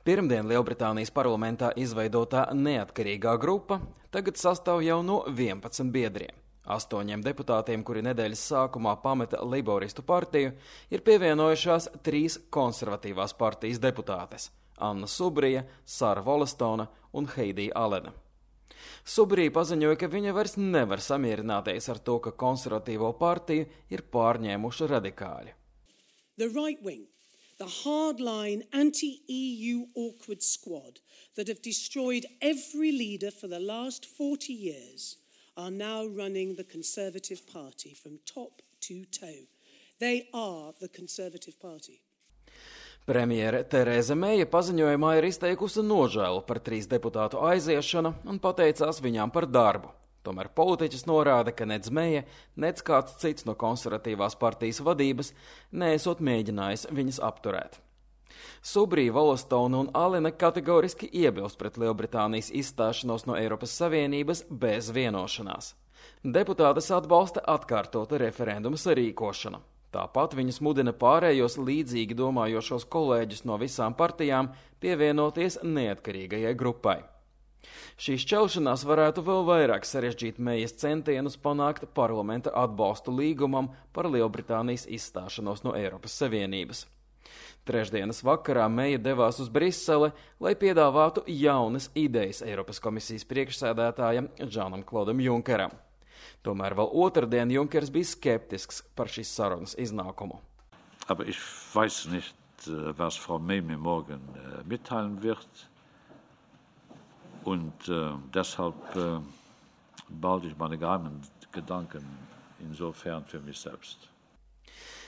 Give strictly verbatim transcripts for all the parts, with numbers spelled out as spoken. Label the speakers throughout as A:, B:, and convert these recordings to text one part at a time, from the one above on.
A: Pirmdien Lielbritānijas parlamentā izveidotā neatkarīgā grupa tagad sastāv jau no vienpadsmit biedriem. Astoņiem deputātiem, kuri nedēļas sākumā pameta Leiboristu partiju, ir pievienojušās trīs konservatīvās partijas deputātes – Anna Subrija, Sara Wollastonea un Heidija Alena. Subrija paziņoja, ka viņa vairs nevar samierināties ar to, ka konservatīvo partiju ir pārņēmuši radikāļi.
B: The right wing, the hardline anti-E U awkward squad that have destroyed every leader for the last forty years are now running the Conservative Party from top to toe. They are the Conservative Party.
A: Premjere Tereza Meija paziņojumā ir izteikusi nožēlu par trīs deputātu aiziešanu un pateicās viņām par darbu. Tomēr politiķis norāda, ka nec Meija, nec kāds cits no konservatīvās partijas vadības neesot mēģinājis viņas apturēt. Subrija, Wollastonea un Alena kategoriski iebilst pret Lielbritānijas izstāšanos no Eiropas Savienības bez vienošanās. Deputātes atbalsta atkārtotu referenduma sarīkošanu. Tāpat viņas mudina pārējos līdzīgi domājošos kolēģus no visām partijām pievienoties neatkarīgajai grupai. Šī šķelšanās varētu vēl vairāk sarežģīt Meijas centienus panākt parlamenta atbalstu līgumam par Lielbritānijas izstāšanos no Eiropas Savienības. Trešdienas vakarā Meija devās uz Brisele, lai piedāvātu jaunas idejas Eiropas komisijas priekšsēdētājam Žanam Klodam Junkeram. Tomēr vēl otrdien Junkers bija skeptisks par šīs sarunas iznākumu.
C: Aber ich weiß nicht, was Frau May mir morgen mitteilen wird. Und äh, deshalb äh, behalte ich meine geheimen Gedanken insofern für mich selbst.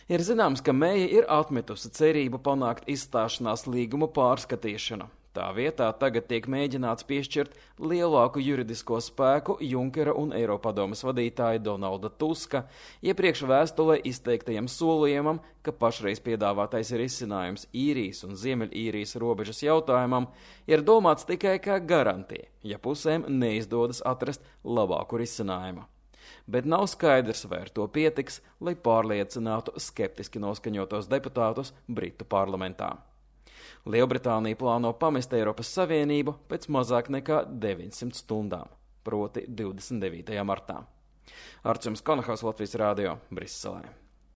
A: Ir zināms, ka Meija ir atmetusi cerību panākt izstāšanās līguma pārskatīšanu. Tā vietā tagad tiek mēģināts piešķirt lielāku juridisko spēku Junkera un Eiropadomes vadītāja Donalda Tuska iepriekš vēstulē izteiktajam solījumam, ka pašreiz piedāvātais risinājums īrijas un Ziemeļīrijas robežas jautājumam ir domāts tikai kā garantija, ja pusēm neizdodas atrast labāku risinājumu. Bet nav skaidrs, vai ar to pietiks, lai pārliecinātu skeptiski noskaņotos deputātus Britu parlamentā. Lielbritānija plāno pamest Eiropas Savienību pēc mazāk nekā deviņsimt stundām, proti divdesmit devītajā martā. Arčuns Konahaus, Latvijas Rādio, Briselē.